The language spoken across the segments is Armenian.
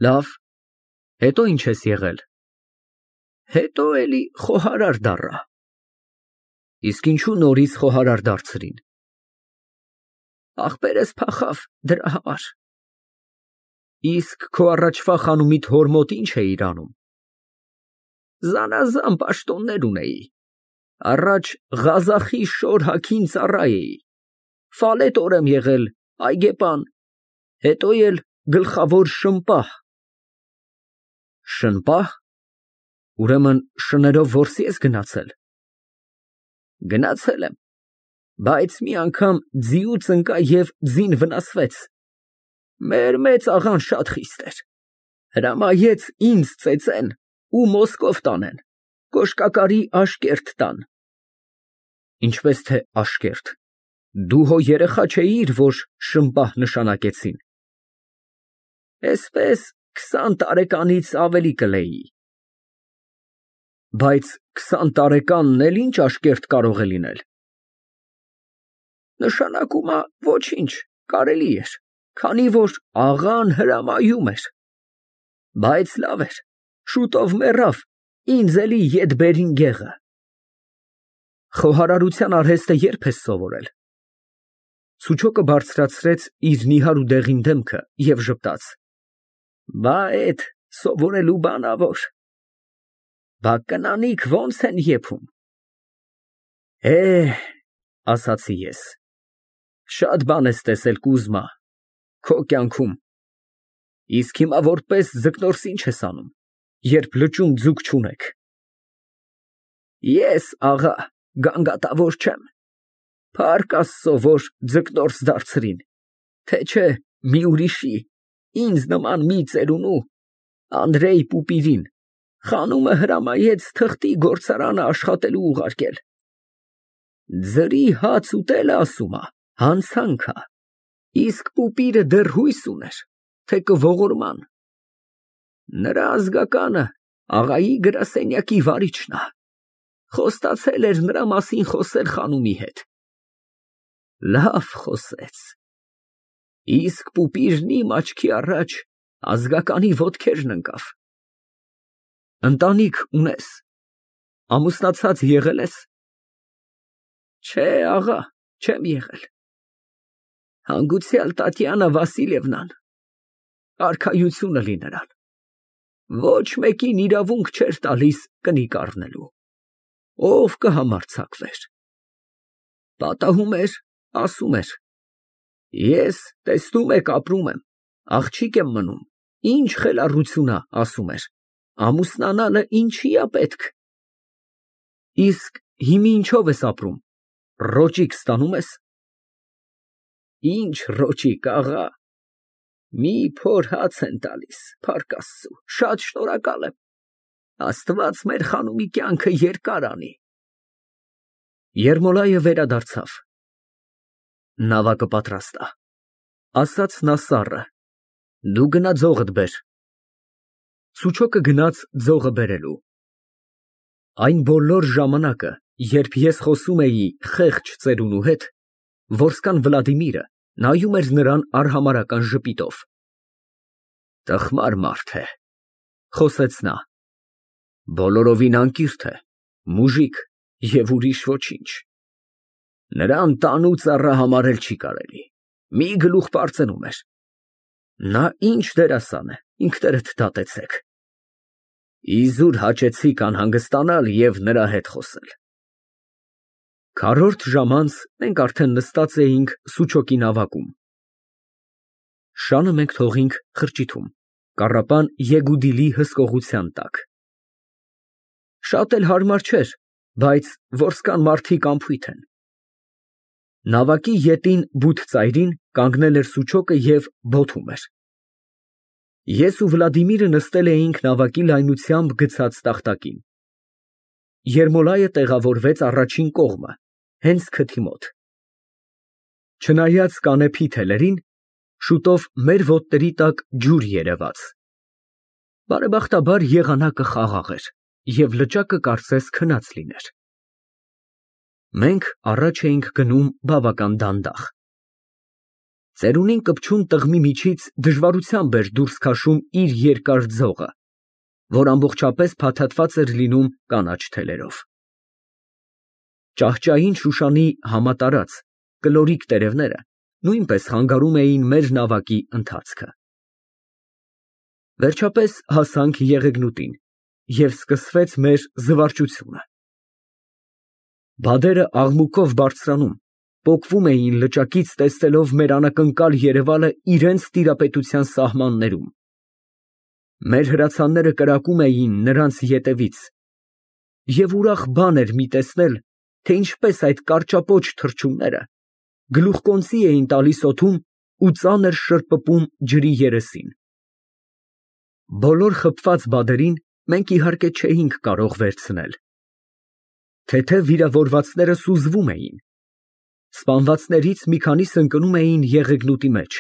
Լավ, հետո ինչ ես եղել։ Հետո էլի խոհարար դառա։ Իսկ ինչու նորից խոհարար դարձրին։ Ախպերս փախավ դրա համար։ Իսկ քո առաջվա խանումիդ հոր մոտ ինչ էիր անում։ Զանազան պաշտոններ ունեի։ Առաջ Ղազախի շոր հագին ծառա էի, ֆալետոր եմ եղել, այգեպան, հետո էլ գլխավոր շնպահ։ Շնպահ։ Ուրեմն շներով որսի ես գնացել։ Գնացել եմ, բայց մի անգամ ձիուց ընկա և ձին վնասվեց։ Մեր մեծ աղան շատ խիստ էր, հրամայեց ինձ ծեծեն ու Մոսկով տանեն, կոշկակարի աշկերտ տան։ Ինչպես թե աշկերտ, դու հո երեխա չէիր, որ շնպահ նշանակեցին։ Էսպես 20 տարեկանից ավելի կլեի։ Բայց 20 տարեկանն էլ ինչ աշկերտ կարող է լինել։ Նշանակում է ոչինչ, կարելի էր, քանի որ աղան հրամայում էր։ Բայց լավ էր, շուտով մեռավ, ինձ էլի ետ բերին գեղը։ Խոհարարության արհեստը ե՞րբ ես սովորել։ Սուչոկը բարձրացրեց իր նիհար ու դեղին դեմքը և ժպտաց։ Բա էդ սովորելու բան ա որ։ Բա կնանիք ո՞նց են եփում։ Ասացի ես, շատ բան ես տեսել Կուզմա, քո կյանքում։ Իսկ հիմա որպես ձկնորս ինչ ես անում, երբ լճում ձուկ չունեք։ Ես, աղա, գանգատավոր չեմ։ Փառք Աստծո, որ ձկնորս դարձրին, թե չէ մի ուրիշի, ինձ նման մի ծերունու, Անդրեյ Պուպիրին, խանումը հրամայեց թղթի գործարանը աշխատելու ուղարկել։ Ձրի հաց ուտելը, ասում ա, հանցանք ա, իսկ Պուպիրը դեռ հույս ուներ, թե կողորման։ Նրա ազգականը աղայի գրասենյակի վարիչն ա, խոստացել էր նրա մասին խոսել խանումի հետ։ Լավ խոսեց, իսկ Պուպիրն իմ աչքի առաջ ազգականի ոտքերն ընկավ։ Ընտանիք ունես, ամուսնացած եղել ես։ Չէ, աղա, չեմ եղել։ Հանգուցյալ Տատյանա Վասիլևնան, արքայությունը լի նրան, ոչ մեկին իրավունք չէր տալիս կնիկ առնելու, ով կհամարձակվեր։ Պատահում էր, ասում էր. ես տեսնում եք ապրում եմ, աղջիկ եմ մնում, ինչ խելառություն ա, ասում էր, ամուսնանալը ինչի ա պետք։ Իսկ հիմա ինչով ես ապրում, ռոճիկ ստանում ես։ Ինչ ռոճիկ, աղա, մի փոր հաց են տալիս, փառք Աստծու, շատ շնորհակալ եմ, Աստված մեր խանումի կյանքը երկար անի։ Երմոլայը վերադարձավ։ Նավակը պատրաստ ա, ասաց նա սառը, դու գնա ձողդ բեր։ Սուչոկը գնաց ձողը բերելու։ Այն բոլոր ժամանակը, երբ ես խոսում էի խեղճ ծերունու հետ, որսկան Վլադիմիրը նայում էր նրան արհամարհական ժպիտով։ Տխմար մարդ է, խոսեց նա, բոլորովին անկիրթ է, մուժիկ և ուրիշ ոչինչ։ Նրան տան ու ծառա համարել չի կարելի, մի գլուխ պարծենում էր։ Նա ինչ դերասան է, ինքներդ դատեցեք։ Իզուր հաճեցիք անհանգստանալ և նրա հետ խոսել։ Քառորդ ժամ անց մենք արդեն նստած էինք Սուչոկի նավակում։ Շանը մենք թողինք խրճիթում, կառապան Եգուդիլի հսկողության տակ։ Շատ էլ հարմար չէր, բայց որսկան մարդիկ անփույթ են։ Նավակի ետին բութ ծայրին կանգնել էր Սուչոկը և բոթում էր։ Ես ու Վլադիմիրը նստել էինք նավակի լայնությամբ գցած տախտակին։ Երմոլայը տեղավորվեց առաջին կողմը, հենց քթի մոտ։ Չնայած կանեփի թելերին, շուտով մեր ոտների տակ ջուր երևաց։ Բարեբախտաբար եղանակը խաղաղ էր, և լճակը կարծես քնած լիներ։ Մենք առաջ էինք գնում բավական դանդաղ։ Ծերունին կպչուն տղմի միջից դժվարությամբ էր դուրս քաշում իր երկար ձողը, որ ամբողջապես փաթաթված էր լինում կանաչ թելերով։ Ճահճային Շուշանի համատարած, կլորիկ տերևները նույնպես խանգարում էին մեր նավակի ընթացքը։ Վերջապես հասանք Եղեգնուտին և սկսվեց մեր զվարճությունը։ Բադերը աղմուկով բարձրանում, պոկվում էին լճակից տեսնելով մեր անակնկալ երևալը իրենց տիրապետության սահմաններում։ Մեր հրացանները կրակում էին նրանց ետևից, և ուրախ բան էր մի տեսնել, թե ինչպես այդ կարճապոչ թռչունները գլուխկոնծի էին տալիս օդում ու ծանր շրպպում ջրի երեսին։ Բոլոր խփված բադերին մենք իհարկե չէինք կարող վերցնել։ Թեթև վիրավորվածները սուզվում էին։ Սպանվածներից մի քանիսը ընկնում էին Եղեգնուտի մեջ,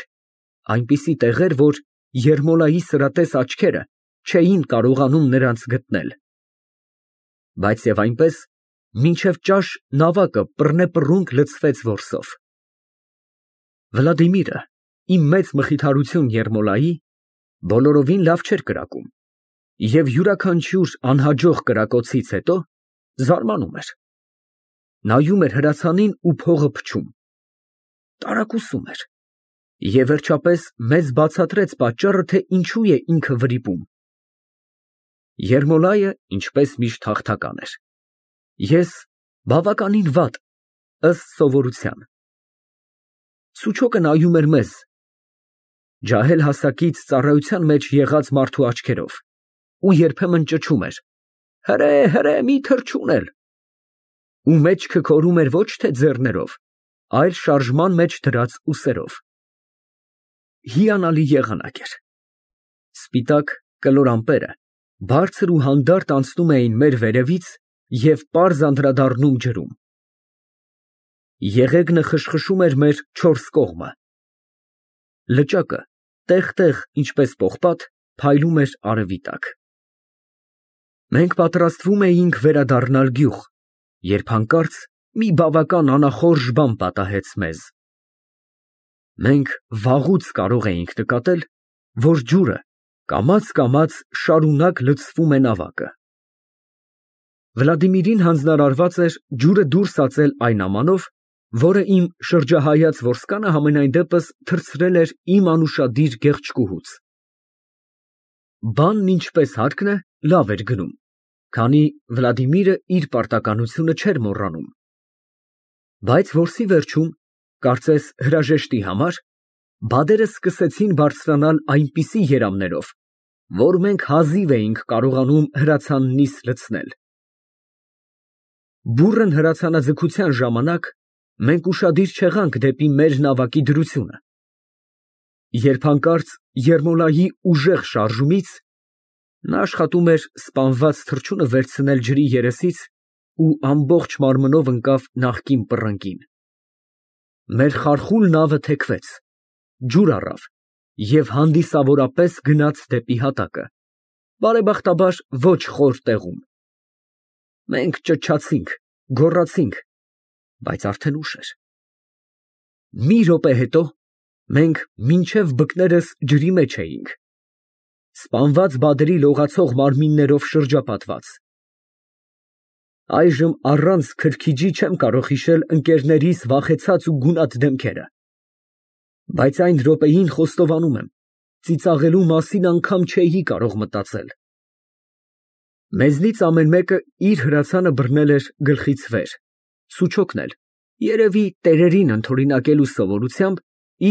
այնպիսի տեղեր, որ Երմոլայի սրատես աչքերը չէին կարողանում նրանց գտնել։ Բայց և այնպես, մինչև ճաշ նավակը պռնեպռունկ լցվեց որսով։ Վլադիմիրը, իմ մեծ մխիթարություն Երմոլայի, բոլորովին լավ չէր կրակում և յուրաքանչյուր անհաջող կրակոցից հետո զարմանում էր։ Նայում էր հրացանին ու փողը փչում։ Տարակուսում էր և վերջապես մեզ բացատրեց պատճառը, թե ինչու է ինքը վրիպում։ Երմոլայը, ինչպես միշտ, հաղթական էր, ես բավականին վատ, ըստ սովորության։ Սուչոկը նայում էր մեզ ջահել հասակից ծառայության մեջ եղած մարդու աչքերով ու երբեմն ճչում էր. «Հրե, հրե, մի թռչուն էլ», ու մեջքը քորում էր ոչ թե ձեռներով, այլ շարժման մեջ դրած ուսերով։ Հիանալի եղանակ էր։ Սպիտակ կլոր ամպերը բարձր ու հանդարտ անցնում էին մեր վերևից և պարզ անդրադառնում ջրում։ Եղեգնը խշխշում էր մեր չորս կողմը։ Լճակը տեղ֊տեղ, ինչպես պողպատ, փայլում էր արևի տակ։ Մենք պատրաստվում էինք վերադառնալ գյուղ, երբ հանկարծ մի բավական անախորժ բան պատահեց մեզ։ Մենք վաղուց կարող էինք նկատել, որ ջուրը կամաց շարունակ լցվում է նավակը։ Վլադիմիրին հանձնարարված էր ջուրը դուրս ածել այն ամանով, որը իմ շրջահայաց որսկանը համենայն դեպս թռցրել էր իմ անուշադիր գեղչկուհուց։ Բանն ինչպես հարկն է, լավ էր գնում, քանի Վլադիմիրը իր պարտականությունը չէր մոռանում։ Բայց որսի վերջում, կարծես հրաժեշտի համար, բադերը սկսեցին բարձրանալ այնպիսի երամներով, որ մենք հազիվ էինք կարողանում հրացաննիս լցնել։ Բուռն հրացանաձգության ժամանակ մենք ուշադիր չեղանք դեպի մեր նավակի դրությունը, երբ հանկարծ Երմոլայի ուժեղ շարժումից նա աշխատում էր սպանված թռչունը վերցնել ջրի երեսից ու ամբողջ մարմնով ընկավ նախկին պռնգին։ Մեր խարխուլ նավը թեքվեց, ջուր առավ և հանդիսավորապես գնաց դեպի հատակը, բարեբախտաբար ոչ խոր տեղում։ Մենք ճչացինք, գոռացինք, բայց արդեն ուշ էր։ Մի րոպե հետո մենք մինչև բկներս ջրի մեջ էինք, սպանված բադերի լողացող մարմիններով շրջապատված։ Այժմ առանց քրքիջի չեմ կարող հիշել ընկերներիս վախեցած ու գունատ դեմքերը, բայց այն րոպեին խոստովանում եմ, ծիծաղելու մասին անգամ չէի կարող մտածել։ Մեզնից ամեն մեկը իր հրացանը բռնել էր գլխից վեր, Սուչոկն էլ, երևի տերերին ընդօրինակելու սովորությամբ,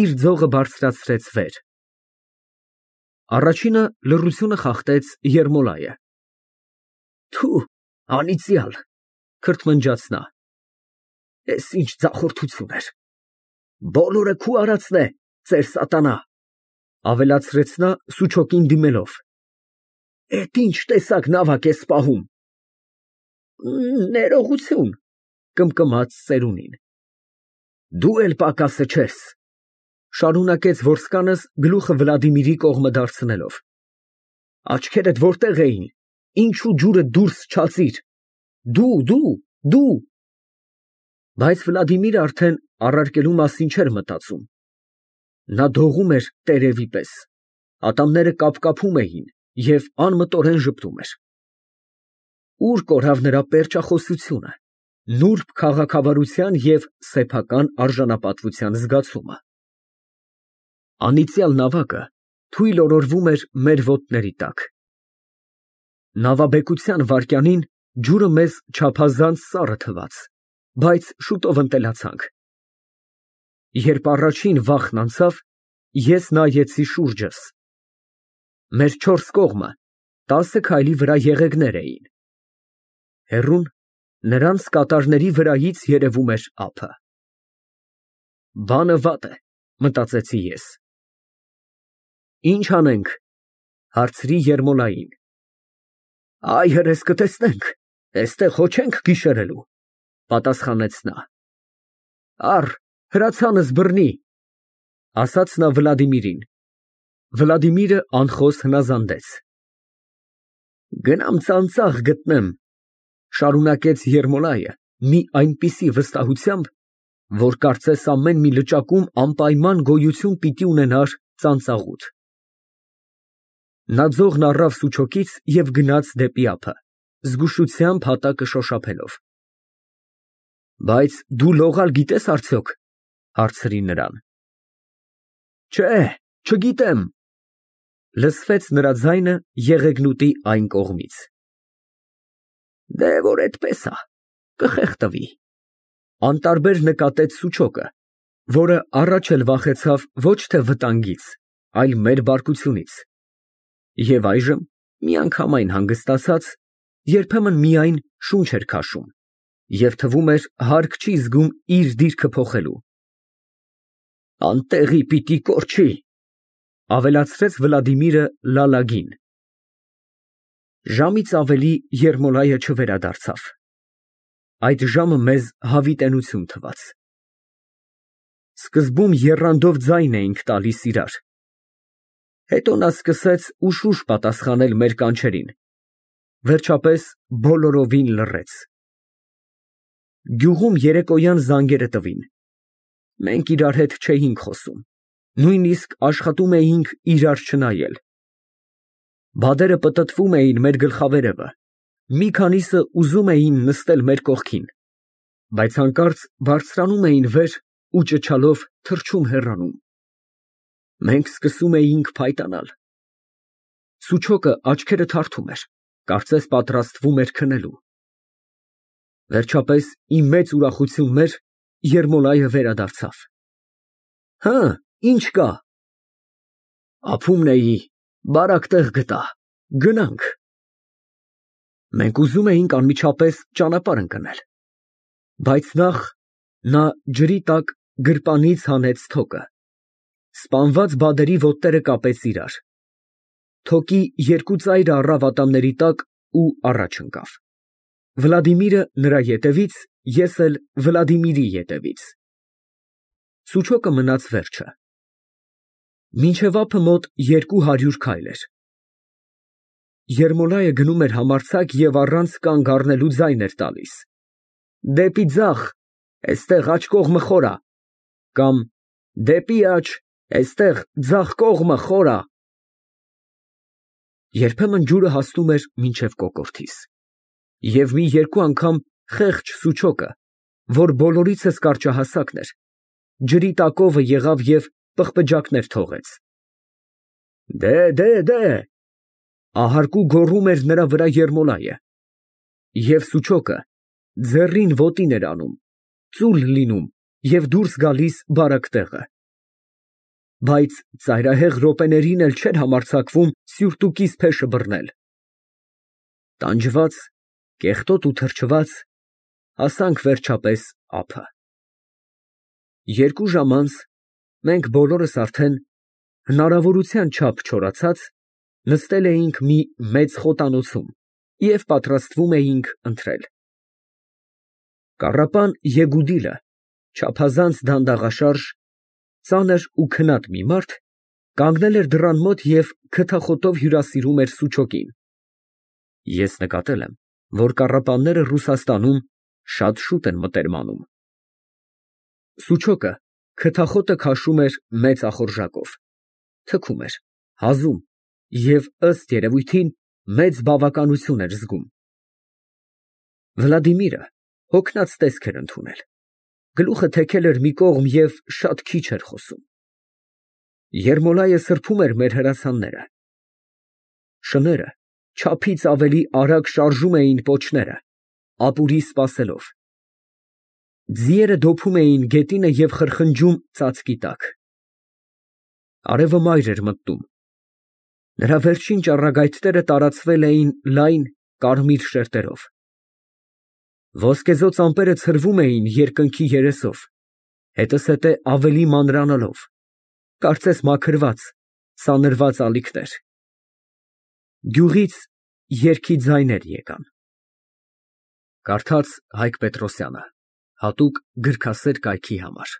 իր ձողը բարձրացրեց վեր։ Առաջինը լռությունը խախտեց Երմոլայը։ Թու, անիծյալ, քրթմնջաց նա, էս ինչ ձախորդություն էր։ Բոլորը քու արածն է, ծեր սատանա, ավելացրեց նա Սուչոկին դիմելով։ Էդ ինչ տեսակ նավակ ես պահում։ Ներողություն, կմկմաց ծերունին։ Դու էլ պակասը չես, շարունակեց որսկանս գլուխը Վլադիմիրի կողմը դարձնելով։ Աչքերդ որտեղ էին, ինչու ջուրը դուրս չածիր։ Դու։ Բայց Վլադիմիրը արդեն առարկելու մասին չէր մտածում։ Նա դողում էր տերևի պես, ատամները կապկապում էին և անմտորեն ժպտում էր։ Ուր կորավ նրա պերճախոսությունը, նուրբ քաղաքավարության և սեփական արժանապատվության զգացումը։ Անիծյալ նավակը թույլ օրորվում էր մեր ոտների տակ։ Նավաբեկության վայրկյանին ջուրը մեզ չափազանց սառը թվաց, բայց շուտով ընտելացանք։ Երբ առաջին վախն անցավ, ես նայեցի շուրջս։ Մեր չորս կողմը 10 քայլի վրա եղեգներ էին։ Հեռուն, նրանց կատարների վրայից երևում էր ափը։ Բանը վատ է, մտածեցի ես։ Ինչ անենք, հարցրի Երմոլային։ Այ հրես կտեսնենք, էստեղ հո չենք գիշերելու, պատասխանեց նա։ Առ, հրացանս բռնի, ասաց նա Վլադիմիրին։ Վլադիմիրը անխոս հնազանդեց։ Գնամ ծանծաղ գտնեմ, շարունակեց Երմոլայը մի այնպիսի վստահությամբ, որ կարծես ամեն մի լճակում անպայման գոյություն պիտի ունենար ծանծաղուտ։ Նա ձողն առավ սուչոկից և գնաց դեպի ափը, զգուշությամբ հատակը շոշափելով։ Բայց դու լողալ գիտես արդյոք, հարցրի նրան։ Չէ, չգիտեմ, լսվեց նրա ձայնը եղեգնուտի այն կողմից։ Դե որ էդպես ա, կխեղդվի, անտարբեր նկատեց սուչոկը, որը առաջ էլ վախեցավ ոչ թե վտանգից, այլ մեր բարկությունից։ Եվ այժմ, միանգամայն հանգստացած, երբեմն միայն շունչ էր քաշում և թվում էր հարկ չի զգում իր դիրքը փոխելու։ Անտեղի պիտի կորչի, ավելացրեց Վլադիմիրը լալագին։ Ժամից ավելի Երմոլայը չվերադարձավ։ Այդ ժամը մեզ հավիտենություն թվաց։ Սկզբում եռանդով ձայն էինք տալիս իրար։ Հետո նա սկսեց ուշ պատասխանել մեր կանչերին, վերջապես բոլորովին լռեց։ Գյուղում երեկոյան զանգերը տվին։ Մենք իրար հետ չէինք խոսում, նույնիսկ աշխատում էինք իրար չնայել։ Բադերը պտտվում էին մեր գլխավերևը, մի քանիսը ուզում էին նստել մեր կողքին, բայց հանկարծ բարձրանում էին վեր ու ճչալով թռչում հեռանում։ Մենք սկսում էինք փայտանալ։ Սուչոկը աչքերը թարթում էր, կարծես պատրաստվում էր քնելու։ Վերջապես, ի մեծ ուրախություն մեր, Երմոլայը վերադարձավ։ Հը, ինչ կա։ Ափումն էի, բարակ տեղ գտա, գնանք։ Մենք ուզում էինք անմիջապես ճանապարհ ընկնել, բայց նախ նա ջրի տակ գրպանից հանեց թոկը, սպանված բադերի ոտները կապեց իրար, թոկի երկու ծայրը առավ ատամների տակ ու առաջ ընկավ։ Վլադիմիրը նրա ետևից, ես էլ Վլադիմիրի ետևից։ Սուչոկը մնաց վերջը։ Մինչև ափը մոտ 200 քայլ էր։ Երմոլայը գնում էր համարձակ և առանց կանգ առնելու ձայն էր տալիս։ Դեպի ձախ, էստեղ աջ կողմը խոր ա, կամ դեպի աջ, էստեղ ձախ կողմը խոր ա։ Երբեմն ջուրը հասնում էր մինչև կոկորդիս։ Եվ մի երկու անգամ խեղճ սուչոկը, որ բոլորիցս կարճահասակն էր, ջրի տակովը եղավ և պղպջակներ թողեց։ Դե, ահարկու գոռում էր նրա վրա Երմոլայը։ Եվ սուչոկը ձեռին ոտին էր անում, ծուլ լինում և դուրս գալիս բարակ տեղը։ Բայց ծայրահեղ րոպեներին էլ չէր համարձակվում սյուրտուկից փեշը բռնել։ Տանջված, կեղտոտ ու թրջված, հասանք վերջապես ափը։ 2 ժամ անց մենք բոլորս արդեն հնարավորության չափ չորացած նստել էինք մի մեծ խոտանոցում և պատրաստվում էինք ընթրել։ Կառապան Եգուդիլը, չափազանց դանդաղաշարժ, ծանր ու քնած մի մարդ, կանգնել էր դռան մոտ և քթախոտով հյուրասիրում էր սուչոկին։ Ես նկատել եմ, որ կառապանները Ռուսաստանում շատ շուտ են մտերմանում։ Սուչոկը Քթախոտը քաշում էր մեծ ախորժակով, թքում էր, հազում և, ըստ երևույթին, մեծ բավականություն էր զգում։ Վլադիմիրը հոգնած տեսք էր ընդունել, գլուխը թեքել էր մի կողմ և շատ քիչ էր խոսում։ Երմոլայը սրբում էր մեր հրացանները։ Շները չափից ավելի արագ շարժում էին պոչները, ապուրի սպասելով։ Ձիերը դոփում էին գետինը և խրխնջում ծածկի տակ։ Արևը մայր էր մտնում։ Նրա վերջին ճառագայթները տարածվել էին լայն կարմիր շերտերով։ Ոսկեզօծ ամպերը ցրվում էին երկնքի երեսով, հետզհետե ավելի մանրանալով, կարծես մաքրված, սանրված ալիքներ։ Գյուղից երգի ձայներ եկան։ Կարդաց Հայկ Պետրոսյանը, հատուկ գրքասեր կայքի համար։